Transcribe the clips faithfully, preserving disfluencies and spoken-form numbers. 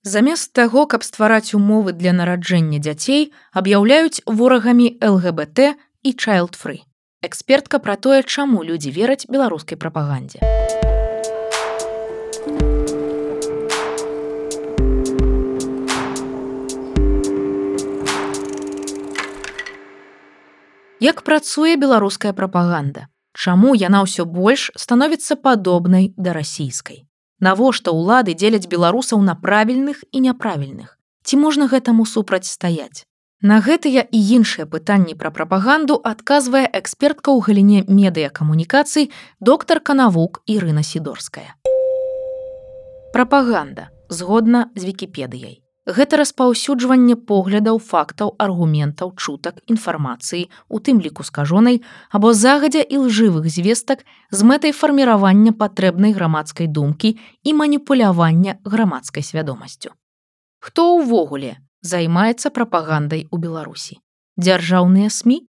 Замест таго, каб ствараць умовы для нараджэння дзяцей, аб'яўляюць ворагамі эл гэ бэ тэ і child-free. Экспертка пра тое, чаму людзі вераць беларускай прапагандзе. Як працуе беларуская прапаганда? Чаму яна ўсё больш становіцца падобнай да расійскай? Навошта ўлады дзеляць беларусаў на правільных і няправільных? Ці можна гэтаму супрацьстаяць? На гэтыя і іншыя пытанні пра прапаганду адказвае экспертка ў галіне медыякамунікацый доктарка навук Ірына Сідорская. Прапаганда, згодна з Вікіпедыяй. Гэта распаўсюджванне поглядаў, фактаў, аргументаў, чутак, інфармацыі, у тым ліку скажонай, або загадзя ілжывых звестак з мэтай фарміравання патрэбнай грамадскай думкі і маніпулявання грамадскай свядомасцю. Хто ўвогуле займаецца прапагандай у Беларусі? Дзяржаўныя СМІ?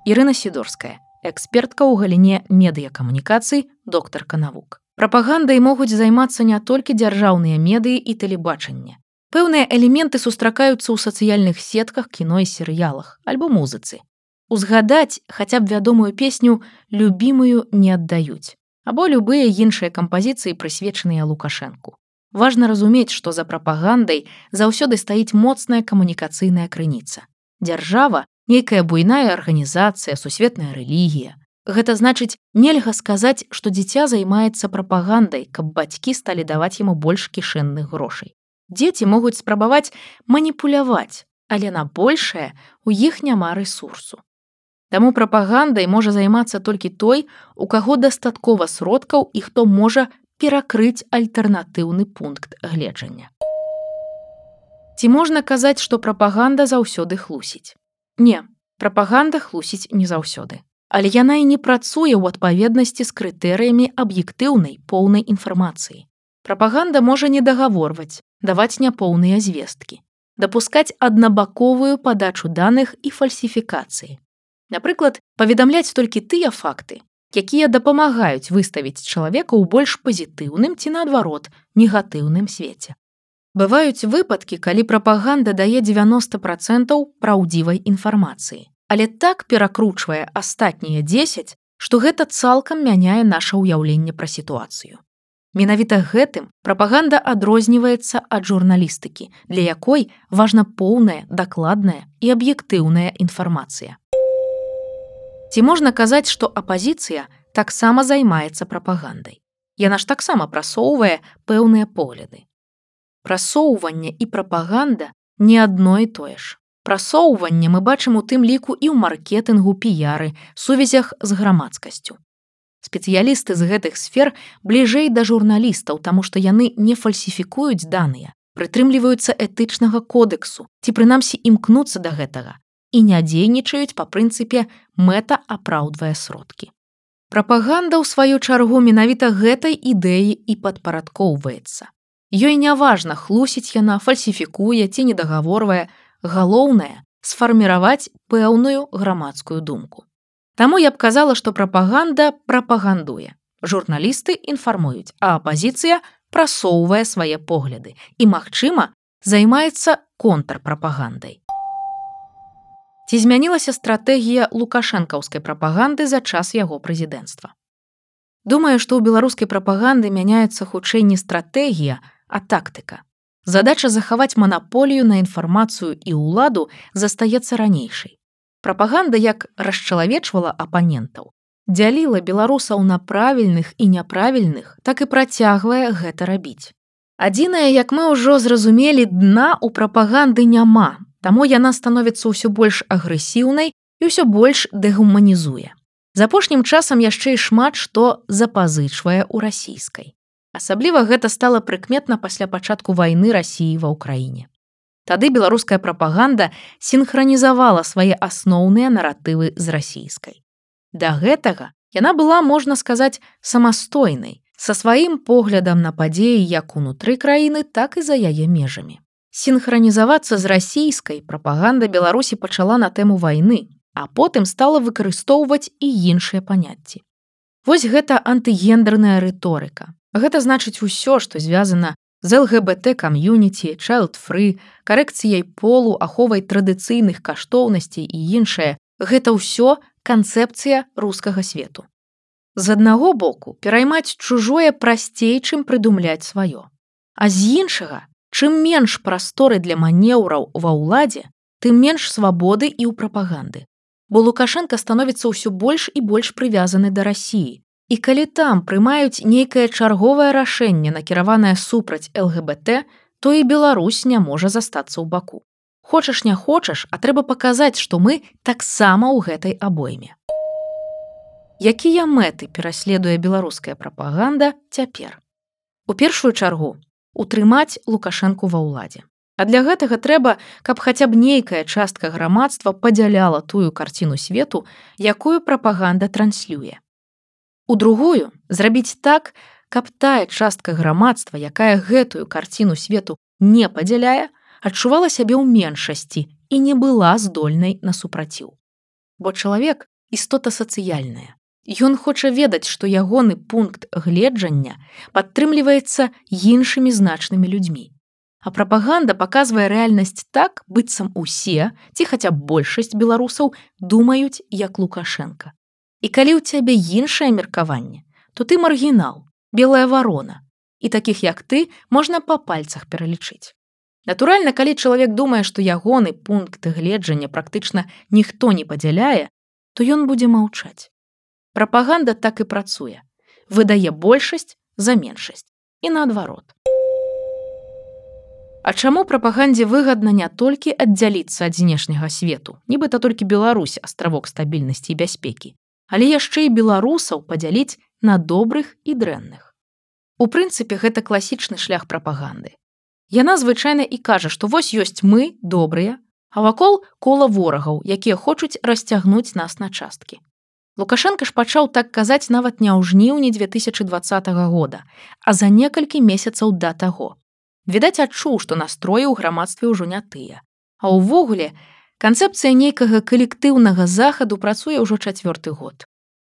Ірына Сідорская, экспертка ў галіне медыякамунікацый, доктарка навук. Прапагандай могуць займацца не толькі дзяржаўныя медыі і тэлебачанне. Пэўныя элементы сустракаюцца ў сацыяльных сетках, кіно і серыялах, альбо музыцы. Узгадаць хаця б вядомую песню «Любімую не аддаюць» або любыя іншыя кампазіцыі, прысвечаныя Лукашэнку. Важна разумець, што за прапагандай заўсёды стаіць моцная камунікацыйная крыніца. Дзяржава – нейкая буйная арганізацыя, сусветная рэлігія. Гэта значыць, нельга сказаць, што дзіця займаецца прапагандай, каб бацькі сталі даваць яму больш кішэнных грошай. Дзеці могуць спрабаваць маніпуляваць, але на большае у іх няма рэсурсу. Таму прапагандай можа займацца толькі той, у каго дастаткова сродкаў і хто можа перакрыць альтэрнатыўны пункт гледжання. Ці можна казаць, што прапаганда заўсёды хлусіць? Не, прапаганда хлусіць не заўсёды. Але яна і не працуе ў адпаведнасці з крытэрыямі аб'ектыўнай, поўнай інфармацыі. Прапаганда можа недагаворваць, даваць няпоўныя звесткі, дапускаць аднабаковую падачу даных і фальсіфікацыі. Напрыклад, паведамляць толькі тыя факты, якія дапамагаюць выставіць чалавека ў больш пазітыўным ці, наадварот, негатыўным свеце. Бываюць выпадкі, калі прапаганда дае дзевяноста працэнтаў праўдзівай інфармацыі, але так перакручвае астатнія дзесяць, што гэта цалкам мяняе наша ўяўленне пра сітуацыю. Менавіта гэтым прапаганда адрозніваецца ад журналістыкі, для якой важна поўная, дакладная і аб'ектыўная інфармацыя. Ці можна казаць, што апазіцыя таксама займаецца прапагандай? Яна ж таксама прасоўвае пэўныя погляды. Прасоўванне і прапаганда не адно і тое ж. Прасоўванне мы бачым у тым ліку і ў маркетынгу, піяры, сувязях з грамадскасцю. Спецыялісты з гэтых сфер бліжэй да журналістаў, таму што яны не фальсіфікуюць даныя, прытрымліваюцца этычнага кодэксу, ці прынамсі імкнуцца да гэтага, і не дзейнічаюць па прынцыпе мэта апраўдвае сродкі. Прапаганда, ў сваю чаргу, менавіта гэтай ідэі і падпарадкоўваецца. Ёй няважна, хлусіць яна, фальсіфікуе ці недагаворвае, галоўнае – сфарміраваць пэўную грамадскую думку. Таму я б казала, што прапаганда прапагандуе. Журналісты інфармуюць, а апазіцыя прасоўвае свае погляды і, магчыма, займаецца контрпрапагандай. Ці змянілася стратэгія лукашэнкаўскай прапаганды за час яго прэзідэнцтва? Думаю, што ў беларускай прапаганды мяняецца хутчэй не стратэгія, а тактыка. Задача захаваць манаполію на інфармацыю і ўладу застаецца ранейшай. Прапаганда як расчалавечвала апанентаў, дзяліла беларусаў на правільных і няправільных, так і працягвае гэта рабіць. Адзінае, як мы ўжо зразумелі, дна ў прапаганды няма, таму яна становіцца ўсё больш агрэсіўнай і ўсё больш дэгуманізуе. З апошнім часам яшчэ і шмат што запазычвае ў расійскай. Асабліва гэта стала прыкметна пасля пачатку вайны Расіі ва ўкраіне. Тады беларуская прапаганда сінхранізавала свае асноўныя наратывы з расійскай. Да гэтага яна была, можна сказаць, самастойнай, са сваім поглядам на падзеі як унутры краіны, так і за яе межамі. Сінхранізавацца з расійскай прапаганда Беларусі пачала на тэму вайны, а потым стала выкарыстоўваць і іншыя паняцці. Вось гэта антыгендерная рыторыка. Гэта значыць усё, што звязана з эл гэ бэ тэ кам'юніці, child-free, карэкцыяй полу, аховай традыцыйных каштоўнасцей і іншае – гэта ўсё канцэпцыя рускага свету. З аднаго боку, пераймаць чужое прасцей, чым прыдумляць сваё. А з іншага, чым менш прасторы для манеўраў ва ўладзе, тым менш свабоды і ў прапаганды. Бо Лукашенка становіцца ўсё больш і больш прывязаны да Расіі. І калі там прымаюць нейкае чарговае рашэнне, накіраванае супраць эл гэ бэ тэ, то і Беларусь не можа застацца ў баку. Хочаш не хочаш, а трэба паказаць, што мы таксама ў гэтай абойме. Якія мэты пераследуе беларуская прапаганда цяпер? У першую чаргу утрымаць Лукашэнку ва ўладзе. А для гэтага трэба, каб хаця б нейкая частка грамадства падзяляла тую карціну свету, якую прапаганда транслюе. У другую зрабіць так, каб тая частка грамадства, якая гэтую карціну свету не падзяляе, адчувала сябе ў меншасці і не была здольнай на супраціў. Бо чалавек – істота сацыяльная. Ён хоча ведаць, што ягоны пункт гледжання падтрымліваецца іншымі значнымі людзьмі. А прапаганда паказвае рэальнасць так, быццам усе, ці хаця б большасць беларусаў думаюць, як Лукашенка. І калі ў цябе іншае меркаванне, то ты маргінал, белая варона, і такіх, як ты, можна па пальцах пералічыць. Натуральна, калі чалавек думае, што ягоны пункт гледжання практычна ніхто не падзяляе, то ён будзе маўчаць. Прапаганда так і працуе. Выдае большасць за меншасць. І наадварот. А чаму прапагандзе выгадна не толькі аддзяліцца ад знешняга свету, нібыта толькі Беларусь астравок стабільнасці і бяспекі, але яшчэ і беларусаў падзяліць на добрых і дрэнных. У прынцыпе, гэта класічны шлях прапаганды. Яна звычайна і кажа, што вось ёсць мы, добрыя, а вакол кола ворагаў, якія хочуць расцягнуць нас на часткі. Лукашенка ж пачаў так казаць нават не ў жніўні дзве тысячы дваццатага года, а за некалькі месяцаў да таго. Відаць, адчуў, што настроі ў грамадстве ўжо не тыя. А ўвогуле, канцэпцыя нейкага калектыўнага захаду працуе ўжо чацвёрты год.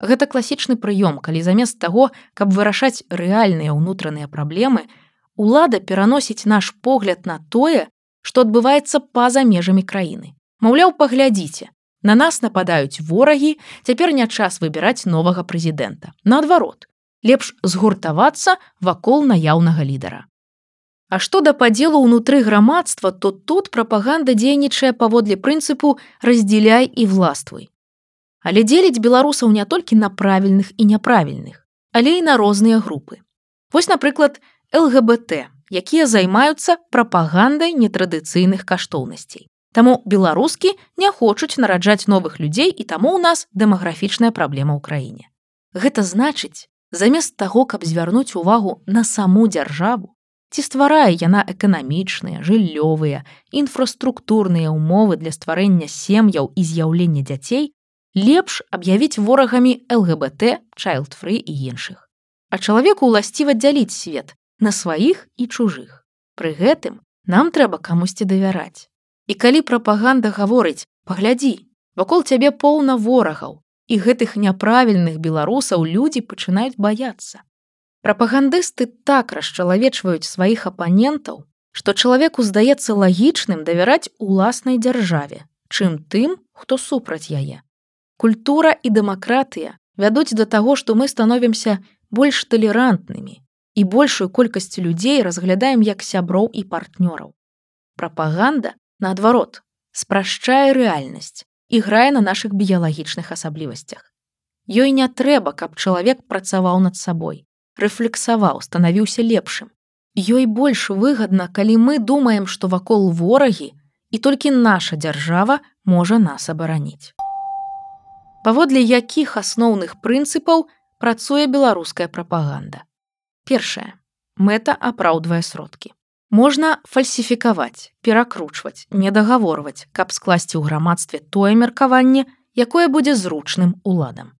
Гэта класічны прыём, калі замест таго, каб вырашаць рэальныя ўнутраныя праблемы, улада пераносіць наш погляд на тое, што адбываецца па-за межамі краіны. Маўляў, паглядзіце, на нас нападаюць ворагі, цяпер не час выбіраць новага прэзідэнта. Наадварот, лепш згуртавацца вакол наяўнага лідара. А што да падзелу ўнутры грамадства, то тут прапаганда дзейнічае паводле прынцыпу «раздзеляй і властвуй». Але дзеліць беларусаў не толькі на правільных і няправільных, але і на розныя групы. Вось, напрыклад, эл гэ бэ тэ, якія займаюцца прапагандай нетрадыцыйных каштоўнасцей. Таму беларускі не хочуць нараджаць новых людзей, і таму ў нас дэмаграфічная праблема ў краіне. Гэта значыць, замест таго, каб звярнуць увагу на саму дзяржаву, ці стварае яна эканамічныя, жыллёвыя, інфраструктурныя ўмовы для стварэння сем'яў і з'яўлення дзяцей, лепш аб'явіць ворагамі эл гэ бэ тэ, child-free і іншых. А чалавеку ўласціва дзяліць свет на сваіх і чужых. Пры гэтым нам трэба камусьці давяраць. І калі прапаганда гаворыць, паглядзі, вакол цябе поўна ворагаў, і гэтых няправільных беларусаў людзі пачынаюць баяцца. Прапагандысты так расчалавечваюць сваіх апанентаў, што чалавеку здаецца лагічным давяраць уласнай дзяржаве, чым тым, хто супраць яе. Культура і дэмакратыя вядуць да таго, што мы становімся больш талерантнымі і большую колькасць людзей разглядаем як сяброў і партнёраў. Прапаганда, наадварот, спрашчае рэальнасць і грае на нашых біялагічных асаблівасцях. Ёй не трэба, каб чалавек працаваў над сабой, рэфлексаваў, станавіўся лепшым. Ёй больш выгадна, калі мы думаем, што вакол ворагі, і толькі наша дзяржава можа нас абараніць. Паводле якіх асноўных прынцыпаў працуе беларуская прапаганда? Першае. Мэта апраўдвае сродкі. Можна фальсіфікаваць, перакручваць, недагаворваць, каб скласці ў грамадстве тое меркаванне, якое будзе зручным уладам.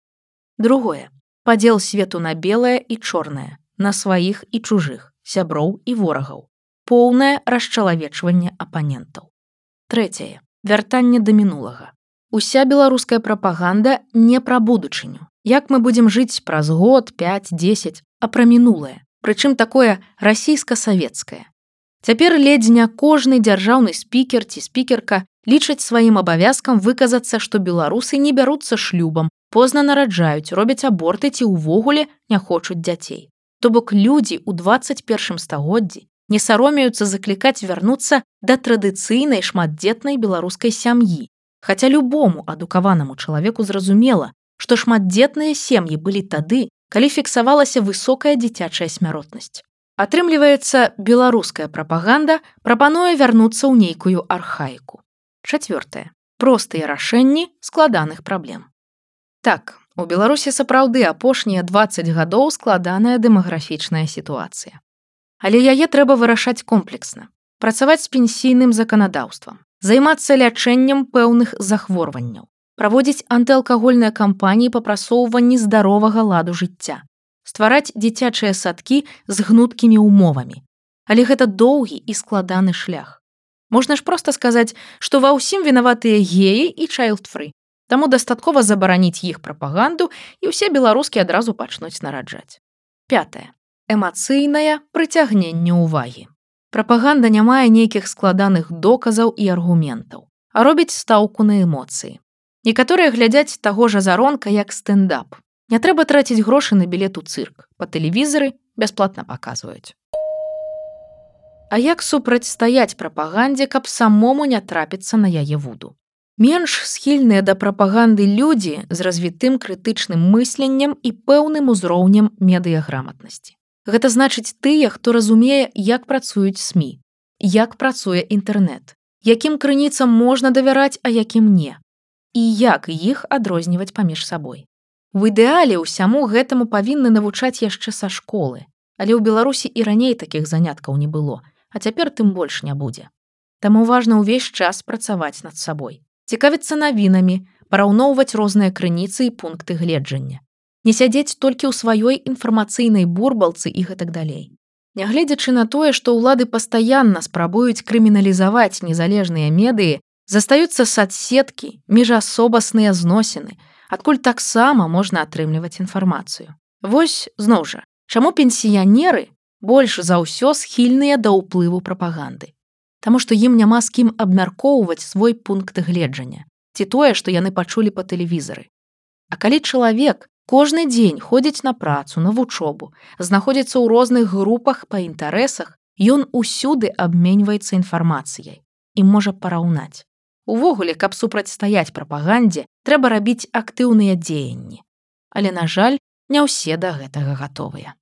Другое. Падзел свету на белае і чорнае, на сваіх і чужых, сяброў і ворагаў. Поўнае расчалавечванне апанентаў. Трэцяе. Вяртанне да мінулага. Уся беларуская прапаганда не пра будучыню. Як мы будзем жыць праз год, пяць, дзесяць, а пра мінулае. Прычым такое расійска-савецкае. Цяпер ледзь не кожны дзяржаўны спікер ці спікерка лічаць сваім абавязкам выказацца, што беларусы не бяруцца шлюбам, позна нараджаюць, робяць аборты ці ўвогуле не хочуць дзяцей. То бок людзі ў дваццаць першым стагоддзі не саромеюцца заклікаць вярнуцца да традыцыйнай шматдзетнай беларускай сям'і. Хаця любому адукаванаму чалавеку зразумела, што шматдзетныя сем'і былі тады, калі фіксавалася высокая дзіцячая смяротнасць. Атрымліваецца, беларуская прапаганда прапануе вярнуцца ў нейкую архаіку. Чацвёртае. Простыя рашэнні складаных праблем. Так, у Беларусі сапраўды апошнія дваццаць гадоў складаная дэмаграфічная сітуацыя. Але яе трэба вырашаць комплексна. Працаваць з пенсійным заканадаўствам, займацца лячэннем пэўных захворванняў, праводзіць антыалкагольныя кампаніі па прасоўванні здаровага ладу жыцця, ствараць дзіцячыя садкі з гнуткімі умовамі. Але гэта доўгі і складаны шлях. Можна ж проста сказаць, што ва ўсім вінаватыя геі і чайлд-фры. Таму дастаткова забараніць іх прапаганду, і ўсе беларускі адразу пачнуць нараджаць. Пятае. Эмацыйнае прыцягненне ўвагі. Прапаганда не мае нейкіх складаных доказаў і аргументаў, а робіць стаўку на эмоцыі. Некаторыя глядзяць таго ж азаронка як стэндап. Не трэба траціць грошы на білет у цырк. Па тэлевізары бясплатна паказваюць. А як супрацьстаяць прапагандзе, каб самому не трапіцца на яе вуду? Менш схільныя да прапаганды людзі з развітым крытычным мысленнем і пэўным узроўнем медыяграматнасці. Гэта значыць тыя, хто разумее, як працуюць СМІ, як працуе інтэрнэт, якім крыніцам можна давяраць, а якім не, і як іх адрозніваць паміж сабой. У ідэале ўсяму гэтаму павінны навучаць яшчэ са школы, але ў Беларусі і раней такіх заняткаў не было, а цяпер тым больш не будзе. Таму важна ўвесь час працаваць над сабой, цікавіцца навінамі, параўноўваць розныя крыніцы і пункты гледжання. Не сядзець толькі ў сваёй інфармацыйнай бурбалцы і гэтак далей. Нягледзячы на тое, што ўлады пастаянна спрабуюць крыміналізаваць незалежныя медыі, застаюцца садсеткі, міжасобасныя зносіны, адкуль таксама можна атрымліваць інфармацыю. Вось, зноў жа, чаму пенсіянеры больш за ўсё схільныя да ўплыву прапаганды? Таму што ім няма з кім абмяркоўваць свой пункт гледжання, ці тое, што яны пачулі па тэлевізары. А калі чалавек кожны дзень ходзіць на працу, на вучобу, знаходзіцца ў розных групах па інтарэсах, ён усюды абменьваецца інфармацыяй і можа параўнаць. Увогуле, каб супрацьстаяць прапагандзе, трэба рабіць актыўныя дзеянні. Але, на жаль, не ўсе да гэтага гатовыя.